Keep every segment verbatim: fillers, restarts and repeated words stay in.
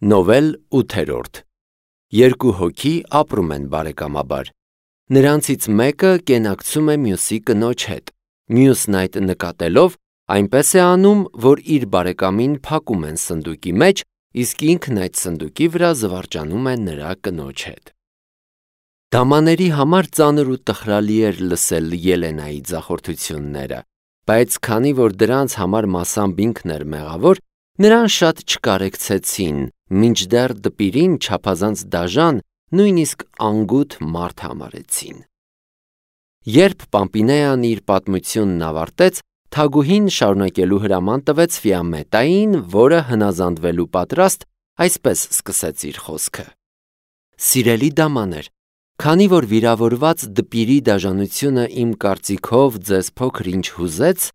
Նովել ութերորդ Երկու հոգի ապրում են բարեկամաբար։ Նրանցից մեկը կենակցում է մյուսի կնոջ հետ, մյուսն այդ նկատելով այնպես է անում, որ իր բարեկամին փակում են սնդուկի մեջ, իսկ ինքն այդ սնդուկի վրա զվարճանում է նրա կնոջ հետ։ Դամաների համար ծանր ու տխրալի էր լսել Ելենայի ձախորդությունները, բայց քանի որ դրանց համար մասամբ ինքն էր մեղավոր, նրան շատ չկարեկցեցին, մինչդեռ դպիրին չափազանց դաժան, նույնիսկ անգութ մարդ համարեցին։ Երբ Պամպինեան իր պատմությունն ավարտեց, թագուհին շարունակելու հրաման տվեց Ֆիամետային, որը հնազանդվելու պատրաստ, այսպես սկսեց իր խոսքը. «Սիրելի դամաներ, քանի որ վիրավորված դպիրի դաժանությունը իմ կարծիքով ձեզ փոքր-ինչ հուզեց,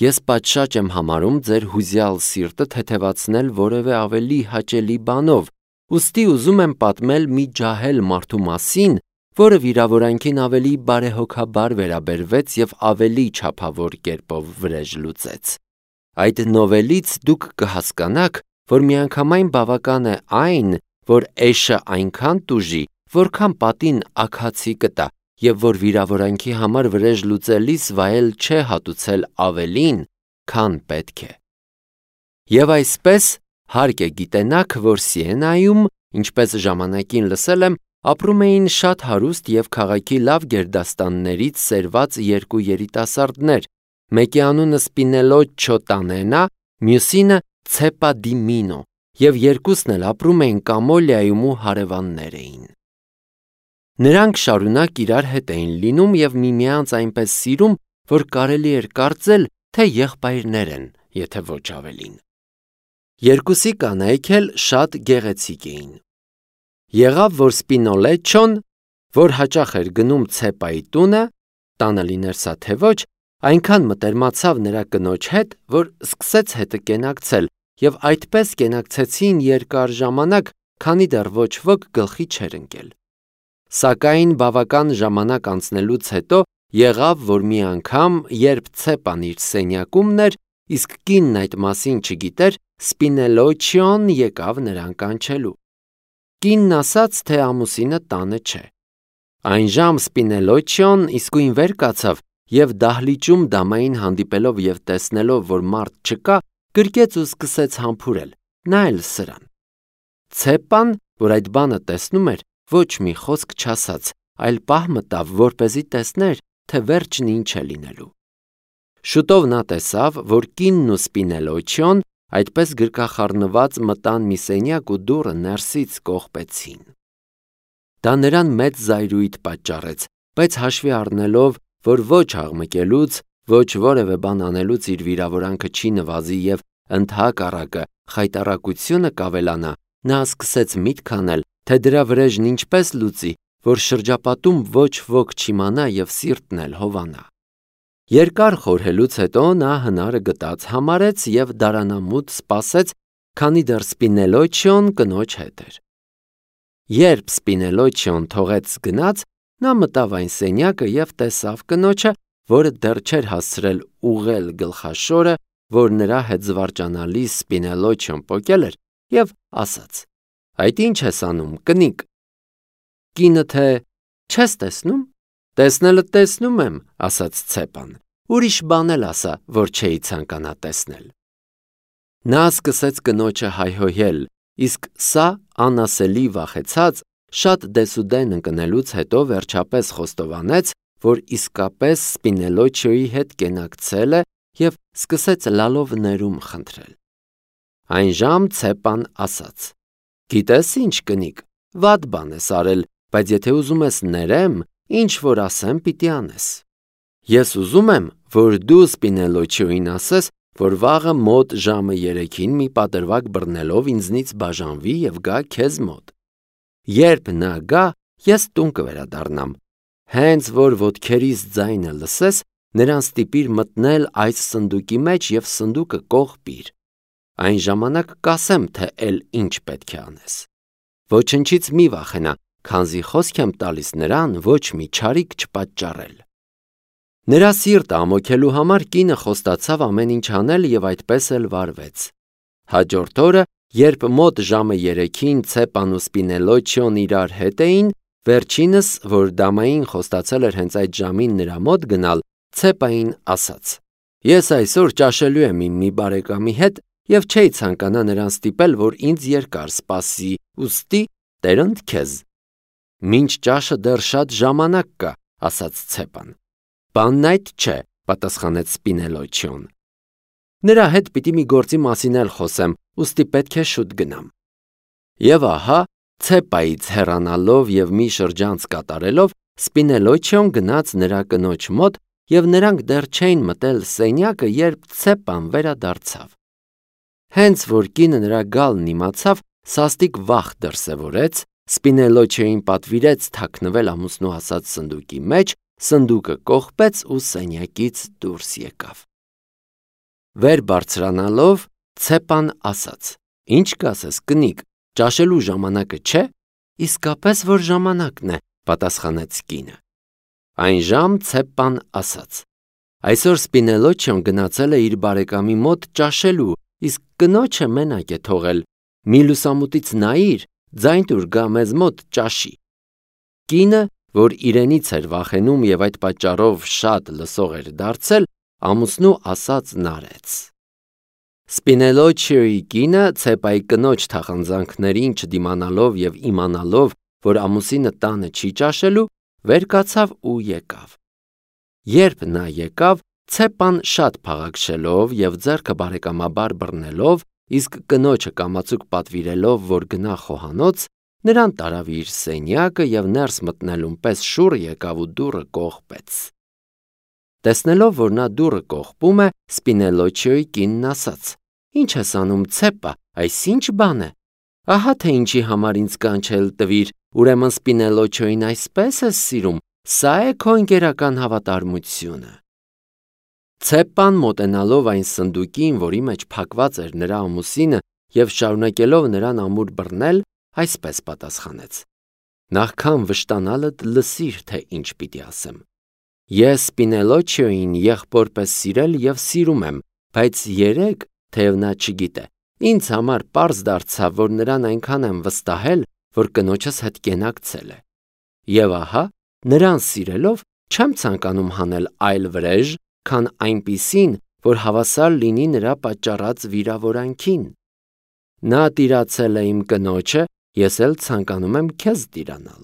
ես պատշաճ եմ համարում ձեր հուզյալ սիրտը թեթևացնել որևէ ավելի հաճելի բանով, ուստի ուզում եմ պատմել մի ջահել մարդու մասին, որը վիրավորանքին ավելի բարեհոգաբար վերաբերվեց և ավելի չափավոր կերպով վրեժ լուծեց։ Այդ նովելից դուք կհասկանաք, որ միանգամայն բավական է այն, որ էշը այնքան տուժի, որքան պատին աքացի կտա, և որ վիրավորանքի համար վրեժ լուծելիս վայել չէ հատուցել ավելին, քան պետք է։ Եվ այսպես, հարկ է գիտենաք, որ Սիենայում, ինչպես ժամանակին լսել եմ, ապրում էին շատ հարուստ և քաղաքի լավ գերդաստաններից սերված երկու երիտասարդներ, մեկի անունը Սպինելոչչո Տանենա, մյուսինը Ցեպա դի Մինո, և երկուսն էլ ապրում էին Կամոլիայում ու հարևաններ էին։ Նրանք շարունակ իրար հետ էին լինում և միմյանց այնպես սիրում, որ կարելի էր կարծել, թե եղբայրներ են, եթե ոչ ավելին։ Երկուսի կանայք էլ շատ գեղեցիկ էին։ Եղավ, որ Սպինոլեչչոն, որ հաճախ էր գնում Ցեպայի տունը, տանը լիներ սա թե ոչ, այնքան մտերմացավ նրա կնոջ հետ, որ սկսեց հետը կենակցել, և այդպես կենակցեցին երկար ժամանակ, քանի դեռ ոչ ոք գլխի չէր ընկել։ Սակայն բավական ժամանակ անցնելուց հետո եղավ, որ մի անգամ, երբ Ցեպան իր սենյակումն էր, իսկ կինն այդ մասին չգիտեր, Սպինելոչչոն եկավ նրան կանչելու։ Կինն ասաց, թե ամուսինը տանը չէ։ Այն ժամ Սպինելոչչոն իսկույն վեր կացավ և դահլիճում դամային հանդիպելով և տեսնելով, որ մարդ չկա, գրկեց ու սկսեց համբուրել, նա էլ սրան։ Ցեպան, որ այդ բանը տեսնում էր, ոչ մի խոսք չասաց, այլ պահ մտավ, որպեսզի տեսներ, թե վերջն ինչ է լինելու։ Շուտով նա տեսավ, որ կինն ու Սպինելոչչոն այդպես գրկախառնված մտան մի սենյակ ու դուռը ներսից կողպեցին։ Դա նրան մեծ զայրույթ պատճառեց, բայց հաշվի առնելով, որ ոչ աղմկելուց, ոչ որևէ բան անելուց իր վիրավորանքը չի նվազի և ընդհակառակը խայտառակությունը կավելանա, նա սկսեց միտք անել, թե դրա վրեժն ինչպես լուծի, որ շրջապատում ոչ ոք չիմանա և սիրտն էլ հովանա։ Երկար խորհելուց հետո նա հնարը գտած համարեց և դարանամուտ սպասեց, քանի դեռ Սպինելոչչոն կնոջ հետ էր։ Երբ Սպինելոչչոն թողեց գնաց, նա մտավ այն սենյակը և տեսավ կնոջը, որը դեռ չէր հասցրել ուղղել գլխաշորը, որ նրա հետ զվարճանալիս Սպինելոչչոն պոկել էր, և ասաց. «Այդ ի՞նչ ես անում, կնիկ»։ Կինը թե «Չես տեսնում»։ «Տեսնելը տեսնում եմ», ասաց Ցեպան, «ուրիշ բան էլ ասա, որ չէի ցանկանա տեսնել»։ Նա սկսեց կնոջը հայհոյել, իսկ սա անասելի վախեցած, շատ դեսուդեն ընկնելուց հետո վերջապես խոստովանեց, որ իսկապես Սպինելոչչոյի հետ կենակցել է և սկսեց լալով ներում խնդրել։ Այն ժամ Ցեպան ասաց. «Գիտես ինչ, կնիկ, վատ բան ես արել, բայց եթե ուզում ես ներեմ, ինչ որ ասեմ, պիտի անես։ Ես ուզում եմ, որ դու Սպինելոչչոյին ասես, որ վաղը մոտ ժամը երեքին մի պատրվակ բռնելով ինձնից բաժանվի և գա քեզ մոտ։ Երբ նա գա, ես տուն կվերադառնամ։ Հենց որ ոտքերիս ձայնը լսես, նրան ստիպիր մտնել այս սնդուկի մեջ և սնդուկը կողպիր։ Այն ժամանակ կասեմ, թե էլ ինչ պետք է անես։ Ոչնչից մի վախենա, քանզի խոսք եմ տալիս նրան ոչ մի չարիք չպատճառել»։ Նրա սիրտը ամոքելու համար կինը խոստացավ ամեն ինչ անել և այդպես էլ վարվեց։ Հաջորդ օրը, Երբ մոտ ժամը երեքին Ցեպան ու Սպինելոչիոն իրար հետ էին, վերջինս, որ դամային խոստացել էր հենց այդ ժամին նրա մոտ գնալ, Ցեպային ասաց. «Ես այսօր ճաշելու եմ իմ մի բարեկամի հետ և չէի ցանկանա նրան ստիպել, որ ինձ երկար սպասի, ուստի տերընդ քեզ»։ «Մինչ ճաշը դեռ շատ ժամանակ կա», ասաց Ցեպան։ «Բանն այդ չէ», պատասխանեց Սպինելոչիոն։ «Նրա հետ պիտի մի գործի մասին էլ խոսեմ, ուստի պետք է շուտ գնամ»։ Եվ ահա, Ցեպայից հեռանալով և մի շրջանց կատարելով, Սպինելոչիոն գնաց նրա կնոջ մոտ, և նրանք դեռ չէին մտել սենյակը, երբ Ցեպան վերադարձավ։ Հենց որ կինը նրա գալն իմացավ, սաստիկ վախ դրսևորեց, Սպինելոչիոյին պատվիրեց թաքնվել ամուսնու ասած սնդուկի մեջ, սնդուկը կողպեց ու սենյակից դուրս եկավ։ Վեր բարձրանալով, Ցեպան ասաց. «Ինչ կասես, կնիկ, ճաշելու ժամանակը չէ»։ «Իսկապես որ ժամանակն է», պատասխանեց կինը։ Այնժամ Ցեպան ասաց. «Այսօր Սպինելոչիոն գնացել է իր բարեկամի մոտ ճաշելու, իսկ կնոջը մենակ է թողել, մի լուսամուտից նայիր, ձայն տուր գա մեզ մոտ ճաշի»։ Կինը, որ իրենից էր վախենում և այդ պատճառով շատ լսող էր դարձել, ամուսնու ասածն արեց։ Սպինելոչիոյի կինը, Ցեպայի կնոջ թախանձանքներին չդիմանալով և իմանալով, որ ամուսինը տանը չի ճաշելու, վեր կացավ ու եկավ։ Երբ նա եկավ, Ցեպան շատ փաղաքշելով և ձեռքը բարեկամաբար բռնելով, իսկ կնոջը կամացուկ պատվիրելով, որ գնա խոհանոց, նրան տարավ իր սենյակը և ներս մտնելուն պես շուռ եկավ ու դուռը կողպեց։ Տեսնելով, որ նա դուռը կողպում է, Սպինելոչիոյի կինն ասաց. «Ինչ ես անում, Ցեպա, այս ինչ բան է։ Ահա թե ինչի համար ինձ կանչել տվիր, ուրեմն Սպինելոչիոյին այսպես ես սիրում, սա է քո ընկերական հավատարմությունը»։ Ցեպան մոտենալով այն սնդուկին, որի մեջ փակված էր նրա ամուսինը, և շարունակելով նրան ամուր բռնել, այսպես պատասխանեց. «Նախքան վշտանալդ լսիր, թե ինչ պիտի ասեմ։ Ես Սպինելոչիոյին եղբոր պես սիրել և սիրում եմ, բայց երեկ, թեև նա չգիտե, ինձ համար պարզ դարձավ, որ նրան այնքան եմ վստահել, որ կնոջս հետ կենակցել է։ Եվ ահա, նրան սիրելով, չեմ ցանկանում հանել այլ վրեժ, քան այնպիսին, որ հավասար լինի նրա պատճառած վիրավորանքին։ Նա տիրացել է իմ կնոջը, ես էլ ցանկանում եմ քեզ տիրանալ։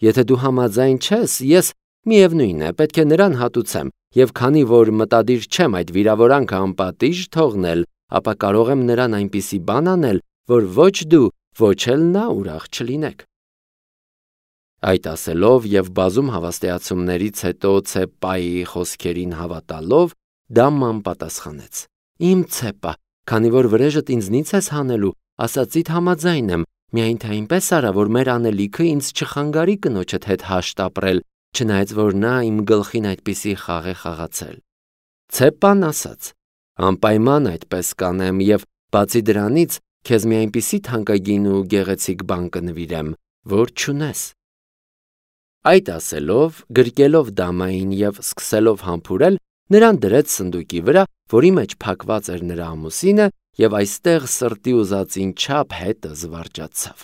Եթե դու համաձայն չես, ես, միևնույն է, պետք է նրան հատուցեմ, և քանի որ մտադիր չեմ այդ վիրավորանքը անպատիժ թողնել, ապա կարող եմ նրան այնպիսի բան անել, որ ոչ դու, ոչ էլ նա ուրախ չլինեք»։ Այդ ասելով և բազում հավաստիացումներից հետո Ցեպայի խոսքերին հավատալով, դամման պատասխանեց. «Իմ Ցեպա, քանի որ վրեժդ ինձնից ես հանելու, ասածիդ համաձայն եմ, միայն թե այնպես արա, որ մեր անելիքը ինձ չխանգարի կնոջդ հետ հաշտ ապրել, չնայած որ նա իմ գլխին այդպիսի խաղ է խաղացել»։ Ցեպան ասաց. «Անպայման այդպես կանեմ և, բացի դրանից, քեզ մի այնպիսի թանկագին ու գեղեցիկ բան կնվիրեմ, որ չունես»։ Այդ ասելով, գրկելով դամային և սկսելով համբուրել, նրան դրեց սնդուկի վրա, որի մեջ փակված էր նրա ամուսինը, և այստեղ սրտի ուզածին չափ հետը զվարճացավ։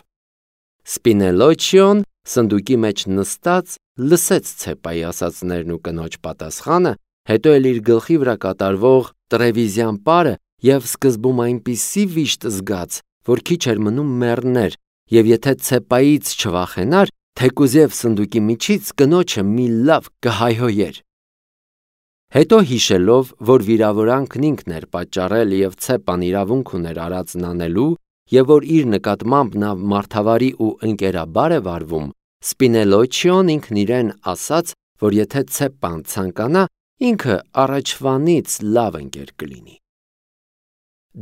Սպինելոչիոն, սնդուկի մեջ նստած, լսեց Ցեպայի ասածներն ու կնոջ պատասխանը, հետո էլ իր գլխի վրա կատարվող տրևիզյան պարը և սկզբում այնպիսի վիշտ զգաց, որ քիչ էր մնում մեռներ, և եթե Ցեպայից չվախենար, թեկուզև սնդուկի միջից կնոջը մի լավ կհայհոյեր։ Հետո հիշելով, որ վիրավորանքն ինքն էր պատճառել և Ցեպան իրավունք ուներ արածն անելու, և որ իր նկատմամբ նա մարդավարի ու ընկերաբար է վարվում, Սպինելոչիոն ինքն իրեն ասաց, որ եթե Ցեպան ցանկանա, ինքը առաջվանից լավ ընկեր կլինի։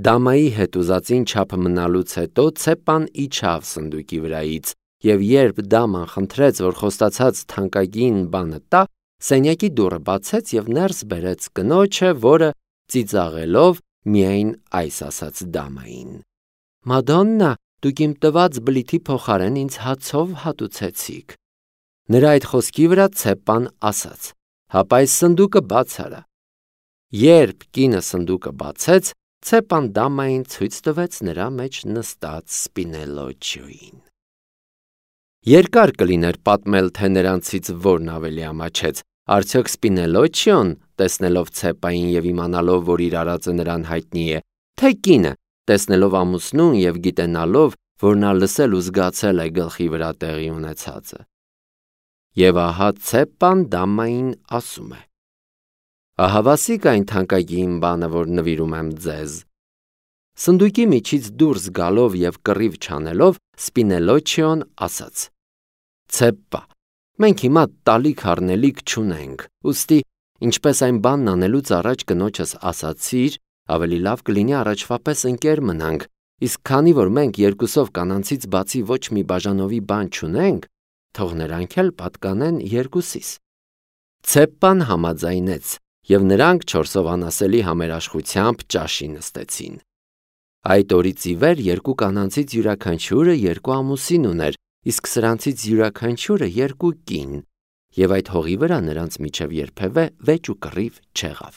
Դամայի հետ ուզածին չափ մնալուց հետո Ցեպան իջավ սնդուկի վրայից, և երբ դաման խնդրեց, որ խոստացած թանկագին բանը տա, սենյակի դուռը բացեց և ներս բերեց կնոջը, որը, ծիծաղելով, միայն այս ասաց դամային. «Մադոննա, դուք իմ տված բլիթի փոխարեն ինձ հացով հատուցեցիք»։ Նրա այդ խոսքի վրա Ցեպան ասաց. «Հապա այս սնդուկը բաց արա»։ Երբ կինը սնդուկը բացեց, Ցեպան դամային ցույց տվեց նրա մեջ նստած Սպինելոչիոյին։ Երկար կլիներ պատմել, թե նրանցից որն ավելի ամաչեց, արդյոք Սպինելոչիոն, տեսնելով Ցեպային և իմանալով, որ իր արածը նրան հայտնի է, թե կինը, տեսնելով ամուսնուն և գիտենալով, որ նա լսել ու զգացել է գլխի վրա տեղի ունեցածը։ Եվ ահա Ցեպան դամային ասում է. «Ահավասիկ այն թանկագին բանը, որ նվիրում եմ ձեզ»։ Սնդուկի միջից դուրս գալով և կռիվ չանելով, Սպինելոչիոն ասաց. «Ցեպպա, մենք հիմա տալիք առնելիք չունենք, ուստի, ինչպես այն բանն անելուց առաջ կնոջս ասացիր, ավելի լավ կլինի առաջվա պես ընկեր մնանք, իսկ քանի որ մենք երկուսով կանանցից բացի ոչ մի բաժանովի բան չունենք, թող նրանք էլ պատկանեն երկուսիս»։ Ցեպպան համաձայնեց, և նրանք չորսով անասելի համերաշխությամբ ճաշի նստեցին։ Այդ օրից ի վեր երկու կանանցից յուրաքանչյուրը երկու ամուսին ուներ, իսկ սրանցից յուրաքանչյուրը երկու կին, և այդ հողի վրա նրանց միջև երբևէ վեճ ու կռիվ չեղավ։